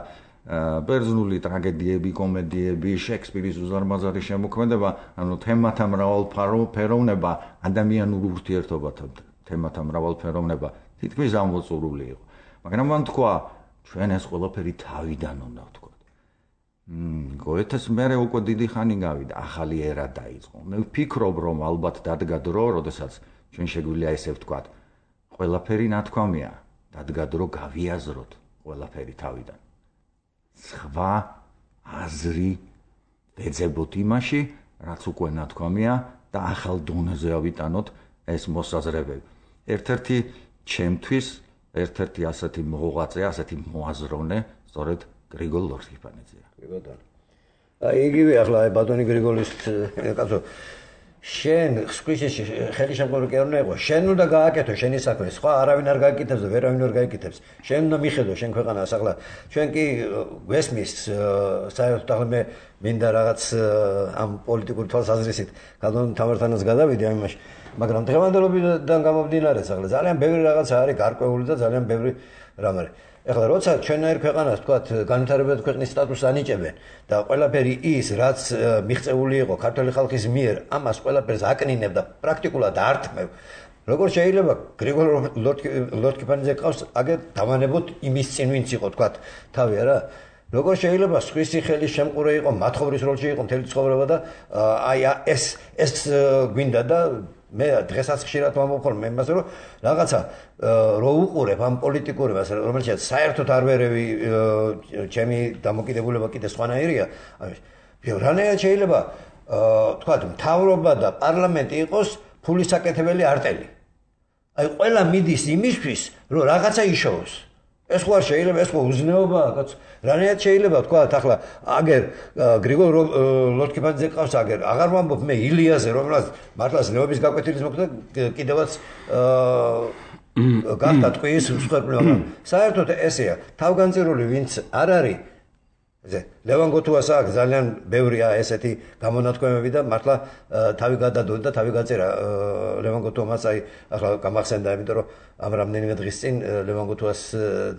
Speaker 4: ბერძნული ტრაგედიები, კომედიები, შექსპირის უზარმაზარი შემოქმედება, ანუ თემათა მრავალფეროვნება, ადამიანურ ურთიერთობათა თემათა მრავალფეროვნება თითქმის ამოწურული იყო. მაგრამ მან თქვა, ჩვენ ეს ყველაფერი თავიდან უნდა ვთქვათ. გოეთეს მერე უკვე დიდი ხანი გავიდა, ახალი ერა დაიწყო. მე ვფიქრობ, რომ ალბათ დადგა დრო, როდესაც ჩვენ შეგვიძლია ესე ვთქვათ, ყველაფერი ნათქვამია, დადგა დრო გავიაზროთ ყველაფერი თავიდან. სხვა აზრი ვეძებოთ იმაში, რაც უკვე ნათქვამია და ახალ დონეზე ავიტანოთ ეს მოსაზრებები. ერთ-ერთი ჩემთვის ერთ-ერთი ასეთი მოღვაწე, ასეთი მოაზროვნე, სწორედ გრიგოლ ლორთქიფანიძეა.
Speaker 2: კი ბატონო. იგივე ახლა ბატონი გრიგოლის კაცო შენ ხსქვიში ხელი შემკური კი არ უნდა იყო. შენ უნდა გააკეთო შენი საქმე. სხვა არავინ არ გააკეთებს და ვერავინ არ გააკეთებს. შენ უნდა მიხედო შენ ქვეყანას ახლა. ჩვენ კი გვესმის საერთოდ ახლა მე მინდა რაღაც ამ პოლიტიკური თვალსაზრისით კანონ თამართანაც გადავიდე ამ იმაში. მაგრამ დღევანდელობიდან გამომდინარე ახლა ძალიან ბევრი რაღაცა არის გარკვეული და ძალიან ბევრი რამ არის. ეხლა როცა ჩვენაირ ქვეყანას თქვათ განვითარებად ქვეყნის სტატუსს ანიჭებენ და ყველაფერი ის რაც მიღწეული იყო ქართული ხალხის მიერ ამას ყველაფერს აკნინებ და პრაქტიკულად ართმევ როგორ შეიძლება გრიგოლ ლორთქიფანიძე ყავს აგერ დავანებოთ იმის წინ ვინც იყო თქვათ თავი არა როგორ შეიძლება სხვისი ხელის შემყურე იყო მათხოვრის როლში იყო მთელი ცხოვრება და აი ეს გვინდა და მე დღესაც ხშირად ვამბობ მე იმას რომ რაღაცა რო უყურებ ამ პოლიტიკურებას რომელშიც საერთოდ არ ვერევი ჩემი დამოკიდებულება კიდე სხვანაირია რანაირად შეიძლება თქვა მთავრობა და პარლამენტი იყოს ფულის საკეთებელი არტელი აი ყველა მიდის იმისთვის რომ რაღაცა იშოვოს ეს ხო არ შეიძლება ეს ხო უზნეობაა კაც რანაირად შეიძლება თქვა ახლა აგერ გრიგოლ ლორთქიფანიძე ყავს აგერ აღარ ვამბობ მე ილიაზე რომელსაც მართლაც ნეობის გაკვეთილის მოხდა კიდევაც გახდა ტყუის მსხვერპლი მაგრამ საერთოდ ესეა თავგანწირული ვინც არ არის ლევან გოთუას აქვს ძალიან ბევრია ესეთი გამონათქვამები და მართლა თავი გადადო და თავი გაწერა ლევან გოთუამაც აი ახლა გამახსენდა იმიტომ რომ ამ რამდენიმე დღის წინ ლევან გოთუას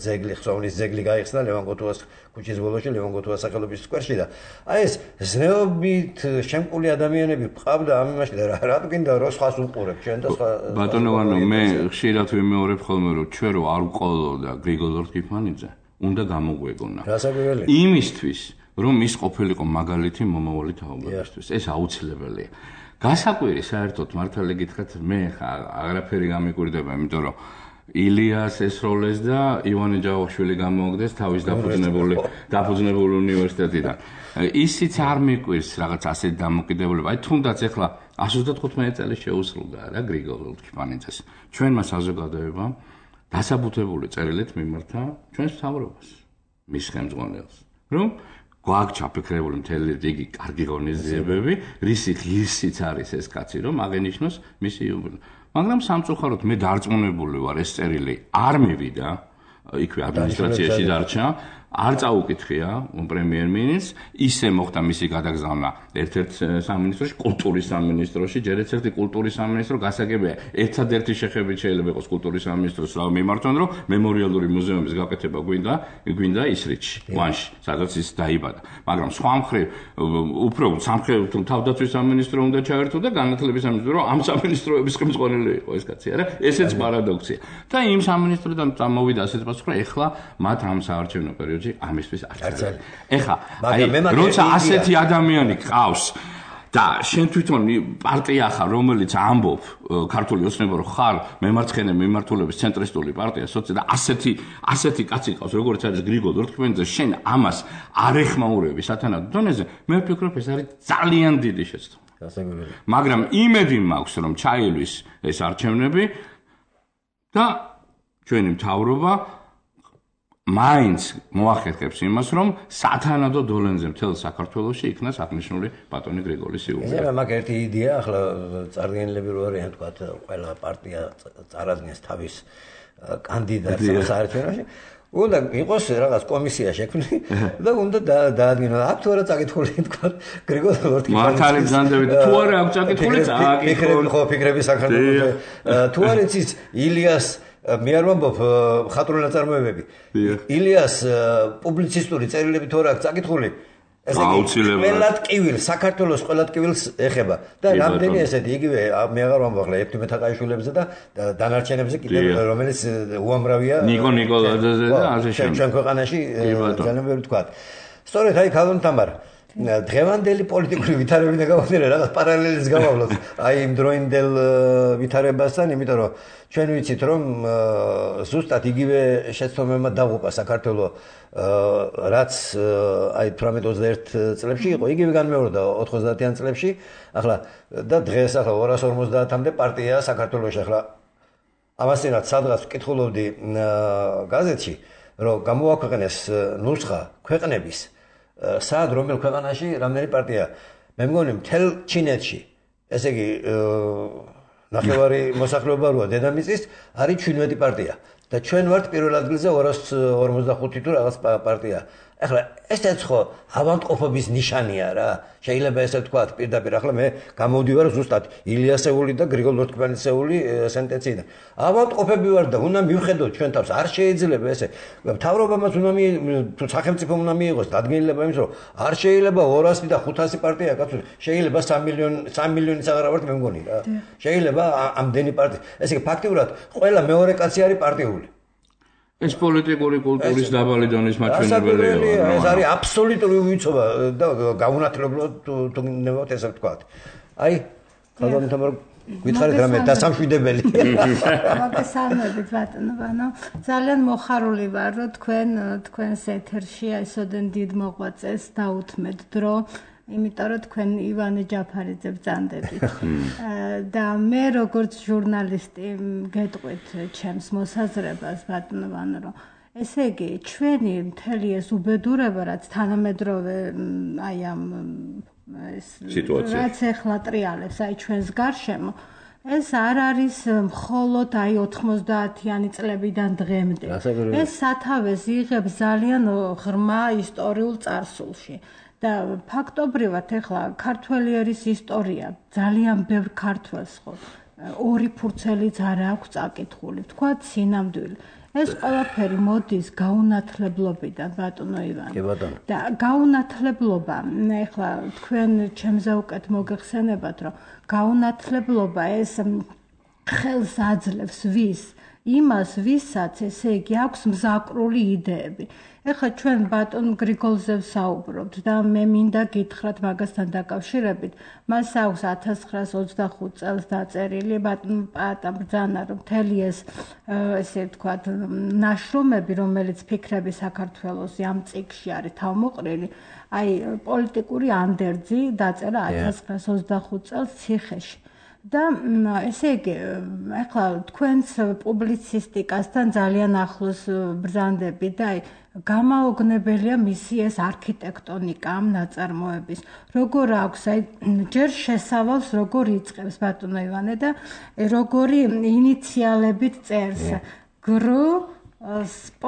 Speaker 2: ძეგლი ხსოვნის ძეგლი გაიხსნა ლევან გოთუას ქუჩის ბოლოში ლევან გოთუას სახელობის სკვერში და აი ეს ზნეობით შემკული ადამიანები ყავდა ამ იმაში და რა გინდა რო სხვას უყურებ ჩვენ და სხვა
Speaker 1: ბატონო ვანო მე ხშირად ვიმეორებ ხოლმე რომ ჩვენ რო არ ვყოლოდა გრიგოლ ლორთქიფანიძე უნდა გამოგვეგონა. იმისთვის, რომ ის ყოფილიყო მაგალითი მომავალი თაობებისთვის. ეს აუცილებელია. გასაკვირი საერთოდ მართალი გითხრათ, მე აღარაფერი გამიკვირდება, იმიტომ რომ ილიას ესროლეს და ივანე ჯავახიშვილი გამოაგდეს თავის დაფუძნებული უნივერსიტეტიდან. ისიც არ მიკვირს რაღაც ასეთი დამოკიდებულება. აი თუნდაც ახლა 135 წელი შეუსრულდა რა გრიგოლ ლორთქიფანიძეს. ჩვენმა საზოგადოებამ დასაბუთებული წერილით მიმართა ჩვენს მთავრობას, მის ხელმძღვანელს, რომ გვაქვს ჩაფიქრებული მთელი რიგი კარგი ღონისძიებები, რისი ღირსიც არის ეს კაცი, რომ აღენიშნოს მისი იუბილე. მაგრამ სამწუხაროდ მე დარწმუნებული ვარ, ეს წერილი არ მივიდა, იქვე ადმინისტრაციაში დარჩა, არ წაუკითხია პრემიერ-მინისტრს, ისე მოხდა მისი გადაგზავნა ერთ-ერთ სამინისტროში, კულტურის სამინისტროში, ჯერ ერთ-ერთი კულტურის სამინისტრო გასაგებია, ერთადერთი შეხებით შეიძლება იყოს კულტურის სამინისტროს რა მიმართონ, რომ მემორიალური მუზეუმის გაკეთება გვინდა ისრიჩში, ვანში, სადაც ის დაიბადა. მაგრამ სხვა მხრივ, უფრო სამხედრო თავდაცვის სამინისტრო უნდა ჩაერთო და განათლების სამინისტრო, რომ ამ სამინისტროების ხელმძღვანელი იყო ეს კაცი, არა? ესეც პარადოქსია. და იმ სამინისტროდან წამოვიდა ასეთ პასუხი, რომ ეხლა მათ ამ საარჩევნო პერიოდში ამისთვის არც ეხა როცა ასეთი ადამიანი ყავს და შენ თვითონ პარტია ხარ რომელიც ამბობ ქართული ოცნება რომ ხარ მემარცხენე მიმართულების ცენტრისტული პარტია და ასეთი კაცი ყავს როგორც არის გრიგოლ ლორთქიფანიძე შენ ამას არ ეხმაურები სათანადო დონეზე მე ვფიქრობ ეს არის ძალიან დიდი შეცდომა მაგრამ იმედი მაქვს რომ ჩაილვის ეს არჩევნები და ჩვენი მთავრობა მაინც მოახერხებს იმას, რომ სათანადო დოლენზე მთელ საქართველოში იქნას აღნიშნული ბატონი გრიგოლის იუბილე.
Speaker 2: ეს მაგ ერთი იდეა, ახლა წარდგენილები რო არიან, თქვა, ყველა პარტია წარადგენს თავის კანდიდატს საერთაშორისოში. უნდა იყოს რაღაც კომისია შექმნილი და უნდა დაადგინოს. აქ თუ არა წაკითხული, თქვა, გრიგოლ ლორთქიფანიძე.
Speaker 1: მართალი ბრძანდებით, თუ არა აქვს წაკითხული,
Speaker 2: წაკითხული ხო ფიქრები საქართველოს. თუ არ იცის ილიას მე არ ვამბობ ხატრული ნაწარმოებები. ილიას პუბლიცისტური წერილები თუ არ აქვს წაკითხული, ეს ყველა ტკივილ საქართველოს ყველა ტკივილს ეხება და რამდენი ესეთი იგივე მე აღარ ვამბობ ახლა ეფთიმე თაყაიშვილებზე და დანარჩენებზე კიდევ რომელიც უამრავია
Speaker 1: ნიკო ნიკოლაძეზე და ასე შემდეგ.
Speaker 2: ჩვენ ქვეყანაში ძალიან ბევრი თქვა. სწორედ აი ქალონ თამარ დღევანდელი პოლიტიკური ვითარებიდან გამომდინარე რაღაც პარალელს გავავლოთ აი იმ დროინდელ ვითარებასთან, იმიტომ რომ ჩვენ ვიცით რომ ზუსტად იგივე შეცდომებმა დაღუპა საქართველო რაც აი 18-21 წლებში იყო, იგივე განმეორდა 90-იან წლებში, ახლა და დღეს ახლა 250-მდე პარტია საქართველოში. ახლა ამასთანავე სადღაც ვკითხულობდი გაზეთში, რომ გამოაქვეყნეს ნუსხა ქვეყნების სად რომელ ქვეყანაში რამდენი პარტია. მე მგონი მთელ ჩინეთში ესე იგი ნახევარი მოსახლეობა როა დედამიწის არის 17 პარტია და ჩვენ ვართ პირველ ადგილზე 245 თუ რაღაც პარტია. ახლა ესეც ხო ავადმყოფობის ნიშანია რა. შეიძლება ესე ვთქვათ პირდაპირ. ახლა მე გამოვდივარ ზუსტად ილიასეული და გრიგოლ ლორთქიფანიძეული სენტენციიდან. ავადმყოფები ვარ და უნდა მივხედოთ ჩვენ თავს. არ შეიძლება ესე. მთავრობამაც უნდა თუ სახელმწიფომ უნდა მიიღოს დადგენილება იმის რომ არ შეიძლება 200 და 500 პარტია კაცო. შეიძლება 3 მილიონიც აღარ ვართ მე მგონი რა. შეიძლება ამდენი პარტია. ესე იგი ფაქტიურად ყველა მეორე კაცი არის პარტიული.
Speaker 1: ეს პოლიტიკური კულტურის დაბალი დონის მაჩვენებელია.
Speaker 2: ეს არის აბსოლუტური უვიცობა და გაუნათლებლად თუ ნებავთ ესე ვთქვათ. აი, ხალხო გითხარით რამე დასამშვიდებელი.
Speaker 5: მოგესალმებით ბატონო. ძალიან მოხარული ვარ რომ თქვენს ეთერში այսოდენ დიდ მოღვაწეს დაუთმეთ დრო. იმიტომ რომ თქვენ ივანე ჯაფარიძე ბრძანდებით და მე როგორც ჟურნალისტი გეტყვით ჩემს მოსაზრებას ბატონო რომ ესე იგი ჩვენი მთელი ეს უბედურება რაც თანამედროვე აი ამ
Speaker 1: სიტუაცია
Speaker 5: რაც ეხლა ტრიალებს აი ჩვენს გარშემო ეს არ არის მხოლოდ აი 90-იანი წლებიდან დღემდე ეს სათავეს იღებს ძალიან ღრმა ისტორიულ წარსულში და ფაქტობრივად ახლა ქართველი ერის ისტორია ძალიან ბევრ ქართველს ხო ორი ფურცელიც არ აქვს წაკითხული თქვა სინამდვილე ეს ყველაფერი მოდის გაუნათლებლობიდან ბატონო ივანე და გაუნათლებლობა ახლა თქვენ ჩემზე უკეთ მოგეხსენებათ რომ გაუნათლებლობა ეს ხელს აძლევს იმას ვისაც ესე იგი აქვს მზაკრული იდეები ეხლა ჩვენ ბატონ გრიგოლზე ვსაუბრობთ და მე მინდა გითხრათ მაგასთან დაკავშირებით მას აქვს 1925 წელს დაწერილი ბატონ პაატა ბრძანა რომ მთელი ეს ესე ვთქვათ ნაშრომები რომელიც ფიქრები საქართველოს ამ წიგნში არის თავმოყრილი აი პოლიტიკური ანდერძი დაწერა 1925 წელს ციხეში და ესე იგი ახლა თქვენს პუბლიცისტიკასთან ძალიან ახლოს ბრძანდები და აი გამაოგნებელია მისი ეს არქიტექტონიკა ამ ნაწარმოების როგორ აქვს აი ჯერ შესავალს როგორ იწყებს ბატონო ივანე და როგორი ინიციალებით წერს გრ სპ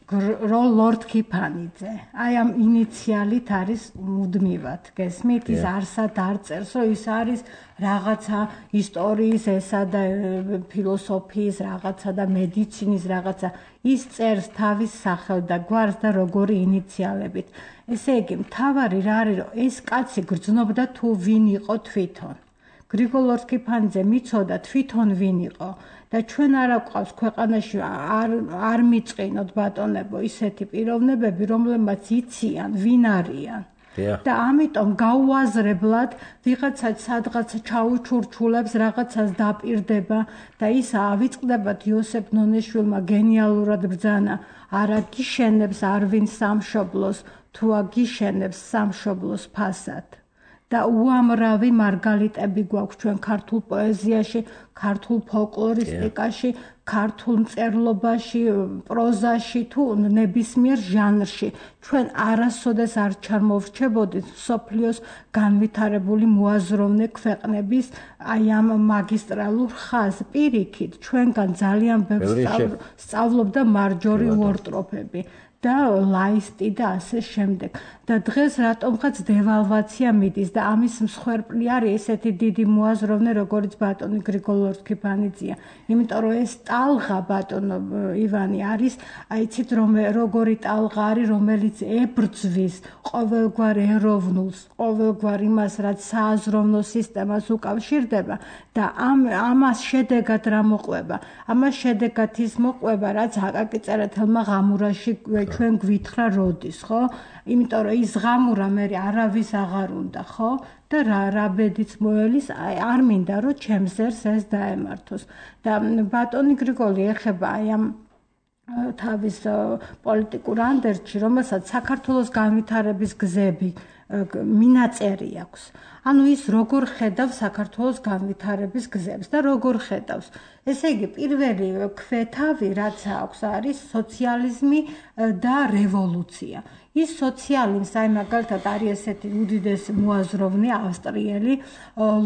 Speaker 5: ლორთქიფანიძე აი ამ ინიციალით არის მუდმივად გესმით ის არსად არ წერს რომ ის არის რაღაცა ისტორიის ესა და ფილოსოფიის რაღაცა და მედიცინის რაღაცა ის წერს თავის სახელ და გვარს და როგორი ინიციალებით ესე იგი მთავარი რა არის რომ ეს კაცი გრძნობდა თუ ვინ იყო თვითონ გრიგოლ ლორთქიფანიძე მიცოდა თვითონ ვინ იყო და ჩვენ არა გვყავს ქვეყანაში არ მიწყინოთ ბატონებო ისეთი პიროვნებები რომლებმაც იციან ვინ არიან და ამიტომ გაუაზრებლად ვიღაცა სადღაცა ჩაუჩურჩულებს რაღაცას დაპირდება და ის ავიწყდებათ იოსებ ნონიშვილმა გენიალურად ბრძანა არა გიშენებს არვინ სამშობლოს თუ აგიშენებს სამშობლოს ფასად და უამრავი მარგალიტები გვაქვს ჩვენ ქართულ პოეზიაში, ქართულ ფოლკლორისტიკაში, ქართულ მწერლობაში, პროზაში თუ ნებისმიერ ჟანრში. ჩვენ არასოდეს არ ჩამოვრჩებოდით მსოფლიოს განვითარებული მოაზროვნე ქვეყნების აი ამ მაგისტრალურ ხაზს პირიქით ჩვენგან ძალიან ბევრს სწავლობდა მარჯორი უორტროფები. და ლაისტი და ასე შემდეგ. და დღეს რატომღაც დევალვაცია მიდის და ამის მსხვერპლი არის ესეთი დიდი მოაზროვნე როგორც ბატონი გრიგოლ ლორთქიფანიძეა. იმიტომ რომ ეს ტალღა ბატონო ივანი არის, აიცით როგორი ტალღა არის, რომელიც ებრძვის ყოველგვარ ეროვნულს, ყოველგვარ იმას, რაც სააზროვნო სისტემას უკავშირდება და ამას შედეგად რა მოყვება? ამას შედეგად ის მოყვება, რაც აკაკი წერეთელმა ღამურაში ჩვენ გვითხრა როდის, ხო? იმიტომ რომ ის ღამურა მე არავის აღარ უნდა, ხო? და რა ბედიც მოელის, არ მინდა რომ ჩემს ერს ეს დაემართოს. და ბატონი გრიგოლი ეხება აი ამ თავის პოლიტიკურ ანდერძში, რომელსაც საქართველოს განვითარების გზები მინაწერი აქვს. ანუ ის როგორ ხედავს საქართველოს განვითარების გზებს და როგორ ხედავს. ესე იგი, პირველი ქვეთავი, რაც აქვს, არის სოციალიზმი და რევოლუცია. ის სოციალიზმს, აი მაგალითად არის ესეთი უდიდესი მოაზროვნე ავსტრიელი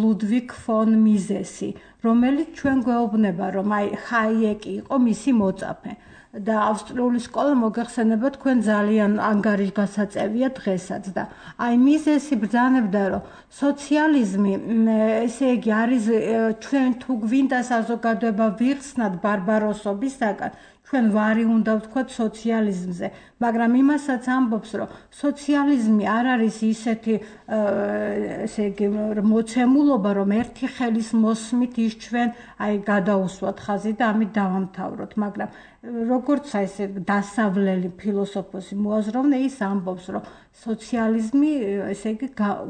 Speaker 5: ლუდვიგ ფონ მიზესი, რომელიც ჩვენ გვეუბნება, რომ აი ჰაიეკი იყო მისი მოწაფე. და ავსტრიული სკოლა მოგეხსენება თქვენ ძალიან ანგარიშგასაწევია დღესაც და აი მიზესი ბრძანებდა რომ სოციალიზმი ესე იგი არის ჩვენ თუ გვინდა საზოგადოება ვიხსნათ ბარბაროსობისაგან ჩვენ ვარი უნდა ვთქვათ სოციალიზმზე მაგრამ იმასაც ამბობს რომ სოციალიზმი არ არის ისეთი ესე იგი მოცემულობა რომ ერთი ხელის მოსმით ის ჩვენ აი გადაუსვათ ხაზი და ამით დავამთავროთ მაგრამ როგორც ესე დასავლელი ფილოსოფოსი მოაზროვნე ის ამბობს რომ სოციალიზმი ესე იგი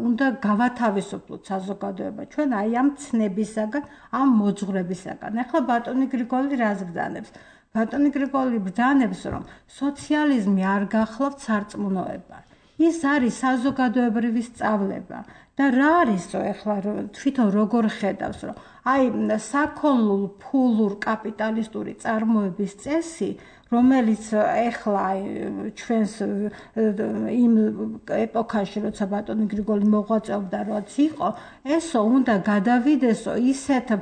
Speaker 5: უნდა გავათავისუფლოთ საზოგადოება ჩვენ აი ამ ცნებისაგან ამ მოძღვრებისაგან ახლა ბატონი გრიგოლი რას ბრძანებს ბატონი გრიგოლი ბრძანებს რომ სოციალიზმი არ გახლავთ სარწმუნოება ის არის საზოგადოებრივი სწავლება და რა არისო ახლა თვითონ როგორ ხედავს რომ აი საქონლურ ფულურ კაპიტალისტური წარმოების წესი რომელიც ახლა ჩვენს იმ ეპოქაში როცა ბატონი გრიგოლი მოღვაწეობდა რაც იყო ესო უნდა გადავიდესო ისეთ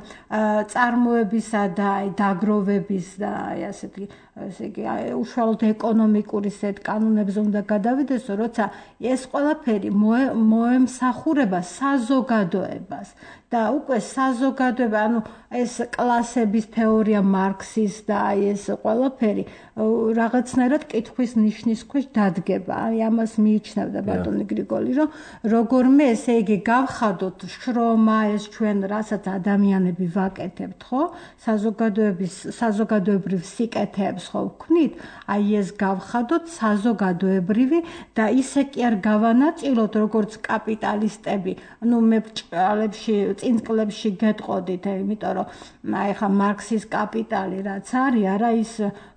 Speaker 5: წარმოებისა და დაგროვების და ასეთი ესე იგი უშუალოდ ეკონომიკური სეთ კანონებზე უნდა გადავიდესო როცა ეს ყველაფერი მოემსახურება საზოგადოებას და უკვე საზოგადოება ანუ ეს კლასების თეორია მარქსის და ეს ყველაფერი რაღაცნაირად კითხვის ნიშნის ქვეშ დადგება. აი ამას მიიჩნევდა ბატონი გრიგოლი, რომ როგორმე ესე იგი გავხადოთ შრომა ეს ჩვენ რასაც ადამიანები ვაკეთებთ, ხო? საზოგადოებრივ სიკეთეებს ხო ვქნით? აი ეს გავხადოთ საზოგადოებრივი და ისე კი არ გავანაწილოთ როგორც კაპიტალისტები. ნუ მე ბჭყალებში, წინწკლებში გეტყოდით, იმიტომ რომ აი ხა მარქსის კაპიტალი რაც არის, არა ის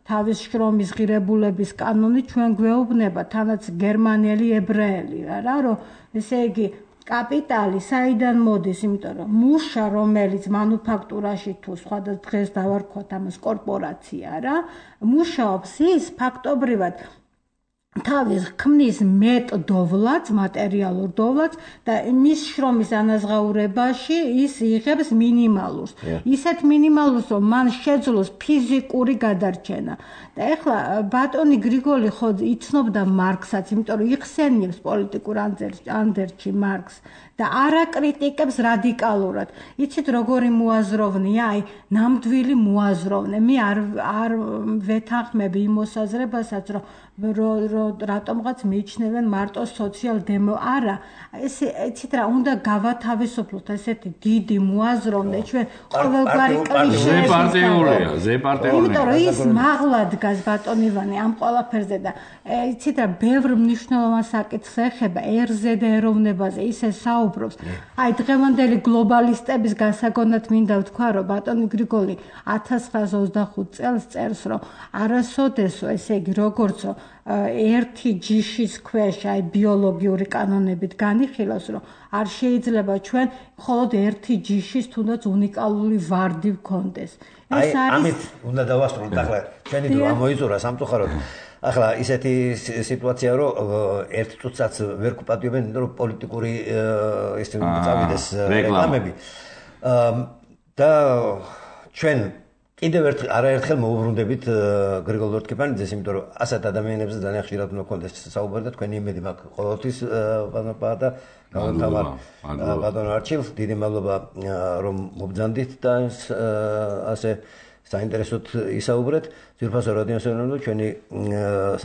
Speaker 5: თავის შრომის ღირებულების კანონი ჩვენ გვეუბნება თანაც გერმანელი ებრაელი რა რომ ესე იგი კაპიტალი საიდან მოდის იმიტომ რომ მუშა რომელიც მანუფაქტურაში თუ სხვა დღეს დავარქვათ ამას კორპორაცია რა მუშაობს ის ფაქტობრივად თავის ქმნის მეტ-დოვლაც, მატერიალურ დოვლაც და მის შრომის ანაზღაურებაში ის იღებს მინიმალურს. ისეთ მინიმალურს, რომ მან შეძლოს ფიზიკური გადარჩენა. და ეხლა ბატონი გრიგოლი ხო იცნობდა მარქსაც, იმიტომ რომ იხსენიებს პოლიტიკურ ანდერძში მარქსს და არ აკრიტიკებს რადიკალურად. იცით როგორი მოაზროვნეა, აი ნამდვილი მოაზროვნე. მე არ ვეთანხმები იმ მოსაზრებასაც, რომ რატომღაც მიიჩნევენ მარტო სოციალ-დემო არა იცით რა უნდა გავათავისუფლოთ ესეთი დიდი მოაზროვნე ჩვენ ყოველგვარი კლიშეები
Speaker 1: ზეპარტიულია
Speaker 5: იმიტომ რომ ის მაღლა დგას ბატონ ივანე ამ ყველაფერზე და იცით რა ბევრ მნიშვნელოვან საკითხს ეხება ერზე და ეროვნებაზე ისე საუბრობს აი დღევანდელი გლობალისტების გასაგონად მინდა ვთქვა რომ ბატონი გრიგოლი 1925 წელს წერს რომ არასოდესო ესე იგი როგორცო ერთი ჯიშის ქვეშ აი ბიოლოგიური კანონებით განიხილავს რომ არ შეიძლება ჩვენ მხოლოდ ერთი ჯიშის თუნდაც უნიკალური ვარდი ვქონდეს
Speaker 2: ეს არის ამით უნდა დავასრულოთ ახლა ჩვენი დრო ამოიწურა სამწუხაროდ ახლა ისეთი სიტუაცია რომ ერთ წუთსაც ვერ გუპატიებენ რომ პოლიტიკური ეს წავიდეს რეკლამები და ჩვენ კიდევ არაერთხელ მოუბრუნდებით გრიგოლ ლორთქიფანიძეს, იმიტომ რომ ასეთ ადამიანებზე ძალიან ხშირად უნდა გქონდეს საუბარი და თქვენი იმედი მაქვს ყოველთვის ბატონობა და გავამთავარ ბატონ არჩილ, დიდი მადლობა რომ მობრძანდით და ასე საინტერესოდ ისაუბრეთ. ძვირფასო რადიოსანონო ჩვენი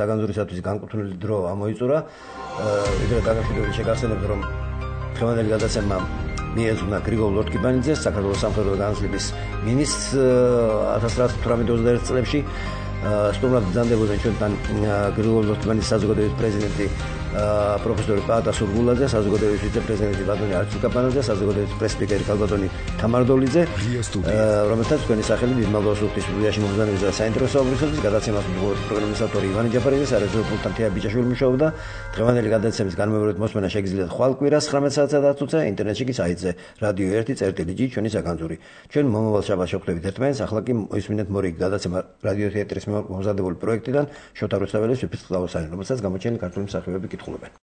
Speaker 2: საგანძურისათვის განკუთვნილი დრო ამოიწურა. ვიდრე დაგახსნით შეგახსენებთ რომ დღევანდელი გადაცემა მიეძღვნა გრიგოლ ლორთქიფანიძეს, საქართველოს სამხედრო განათლების მინისტრს 1918 წლებში სტუმრად ბრძანდებოდნენ ჩვენთან გრიგოლ ლორთქიფანიძის საზოგადოების პრეზიდენტი პროფესორი პაატა სურგულაძე, საზოგადოების ვიცე-პრეზიდენტი ბატონი არჩილ კაპანაძე, საზოგადოების პრეს-სპიკერი ქალბატონი თამარ დოლიძე, რომელთაც თქვენი სახელი დიდმალოს უხდის სტუდიაში მომზადების და საინტერესო აუდიოსების გადაცემას პროგრამის ავტორი ივანი ჯაფარიძე, სარეჟისორო პულტთან თეა ბიჭაშვილი მუშაობდა. დღევანდელი გადაცემის განმეორებით მოსმენა შეგიძლიათ ხვალ კვირას 19 საათსა და 10 წუთზე ინტერნეტში კი საიტზე Radio 1.წერტილი G ჩვენი საგანძური. ჩვენ მომავალ შაბათს შევხვდებით ერთმანეთს, ახლა კი მოისმინეთ მორიგი გადაცემა Radio თეატრის მომზადებული პროექტიდან შოთა რუსთაველის ვიფრთხილავსანი, რომელსაც გამოჩენილი ქართული მსახიობები კითხულობენ.